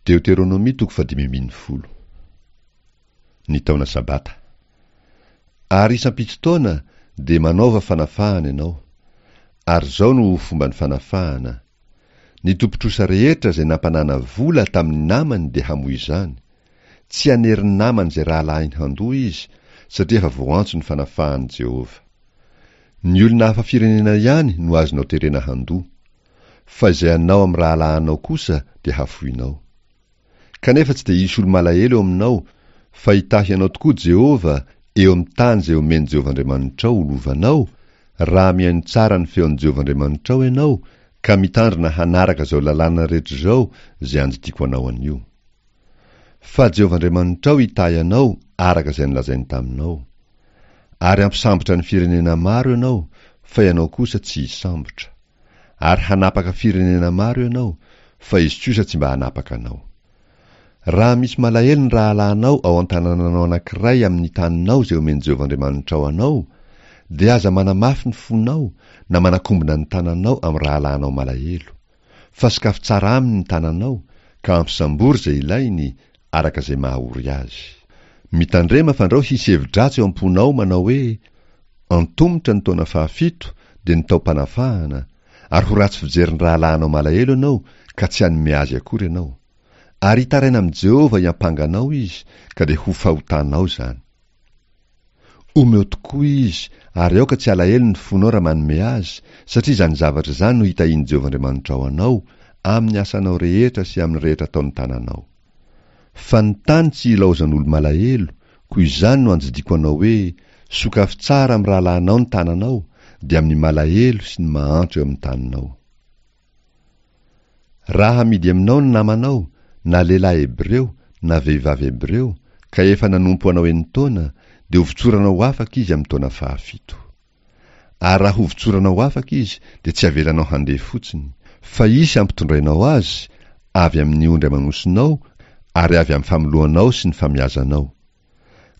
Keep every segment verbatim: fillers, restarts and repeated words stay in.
Deoteronomia toko fahadimy ambin'ny folo. Ny taona Sabata. Ary isam-pito taona dia manaova fanafahana ianao. Ary izao no ho fomban'ny fanafahana. Ny tompon-trosa rehetra izay nampanana vola tamin'ny namany dia hamoy izany. Tsy hanery ny namany izay rahalahiny handoa izy, satria efa voantso ny fanafahan'i Jehovah. Ny olona hafa firenena ihany no azonao terena handoa. Fa izay anao amin'ny rahalahinao kosa dia hafoinao. Kanefa tsy dia hisy olo-malahelo eo aminao, fa hitahy anao tokoa Jehovah eo amin'ny tany izay omen'i Jehovah Andriamanitrao ho lovanao, raha mihaino tsara ny feon'i Jehovah Andriamanitrao ianao, ka mitandrina hanaraka izao lalàna rehetra izao izay andidiako anao anio. Fa Jehovah Andriamanitrao hitahy anao araka izay nolazainy taminao. Ary hampisambotra ny firenena maro ianao, fa ianao kosa tsy hisambotra. Ary hanapaka firenena maro ianao, fa izy kosa tsy mba hanapaka anao. Raha misy malahelo ny rahalahinao ao an-tanànanao anankiray amin'ny taninao izay omen'i Jehovah Andriamanitrao anao, dia aza manamafy ny fonao na manakombona ny tananao amin'ny rahalahinao malahelo. Fa sokafy tsara aminy ny tananao, ka ampisambory izay ilainy, araka izay mahaory azy. Mitandrema fandrao hisy hevi-dratsy eo am-ponao manao hoe, Antomotra ny taona fahafito, dia ny taom-panafahana, ary ho ratsy fijery ny rahalahinao malahelo ianao, ka tsy hanome azy akory ianao. Ary hitaraina amin'i Jehovah hiampanga anao izy, ka dia ho fahotanao izany. Omeo tokoa izy, ary aoka tsy halahelo ny fonao raha manome azy, satria izany zavatra izany no hitahian'i Jehovah Andriamanitrao anao, amin'ny asanao rehetra sy amin'ny rehetra ataon'ny tananao. Fa ny tany tsy ilaozan'olo-malahelo, koa izany no andidiako anao hoe, sokafy tsara amin'ny rahalahinao ny tananao, dia amin'ny malahelo sy ny mahantra eo amin'ny taninao. Raha hamidy aminao ny namanao, na lehilahy hebreo, na vehivavy hebreo, ka efa nanompo anao enin-taona, dia hovotsoranao ho afaka izy amin'ny taona fahafito. Ary raha hovotsoranao ho afaka izy, dia tsy avelanao handeha fotsiny, fa hisy hampitondrainao azy, avy amin'ny ondry aman'osinao, ary avy amin'ny famoloanao sy ny famiazanao.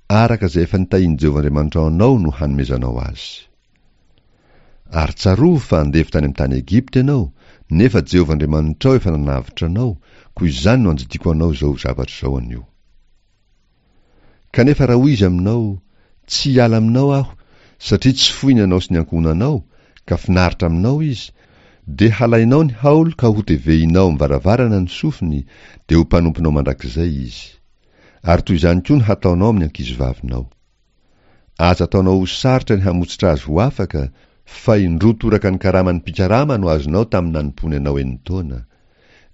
Araka izay efa nitahian'i Jehovah Andriamanitrao anao no hanomezanao azy. Ary tsarovy fa andevo tany amin'ny tany Egypta ianao, nefa Jehovah Andriamanitrao efa nanavotra anao, koa izany no andidiako anao izao zavatra izao anio. Kanefa raha hoy izy aminao, Tsy hiala aminao aho, satria tsy foiny ianao sy ny ankohonanao, ka finaritra aminao izy, dia halainao ny haolo ka hotevehinao amin'ny varavarana ny sofiny, dia ho mpanomponao mandrakizay izy. Ary toy izany koa no hataonao amin'ny ankizivavinao. Aza ataonao ho sarotra ny hamotsitra azy ho afaka, fa indroa toraka ny karaman'ny mpikarama no azonao tamin'ny nanompoany anao enin-taona.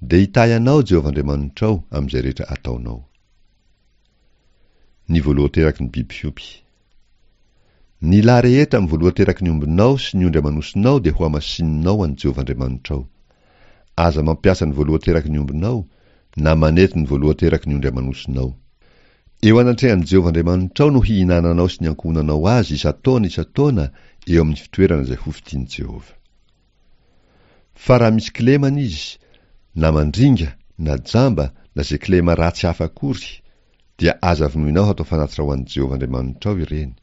Dia hitahy anao Jehovah Andriamanitrao amin'izay rehetra ataonao. Ny voalohan-teraky ny biby fiompy. Ny lahy rehetra amin'ny voalohan-teraky ny ombinao sy ny ondry aman'osinao dia hohamasininao ho an'i Jehovah Andriamanitrao. Aza mampiasa ny voalohan-teraky ny ombinao, na manety ny voalohan-teraky ny ondry aman'osinao. Eo anatrehan'i Jehovah Andriamanitrao no hihinananao sy ny ankohonanao azy isan-taona isan-taona eo amin'ny fitoerana izay hofidian'i Jehovah. Fa raha misy kilemana izy, na mandringa, na jamba, na izay kilema ratsy hafa akory, dia aza vonoinao hatao fanatitra ho an'i Jehovah Andriamanitrao ireny.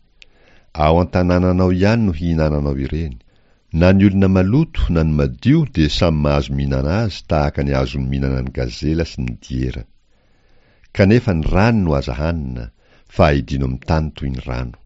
Ao an-tanànanao ihany no hihinananao ireny. Na ny olona maloto na ny madio dia samy mahazo mihinana azy tahaka ny ahazoany mihinana ny gazela sy ny diera. Kanefa ny rany no aza hanina, fa aidino amin'ny tany toy ny rano.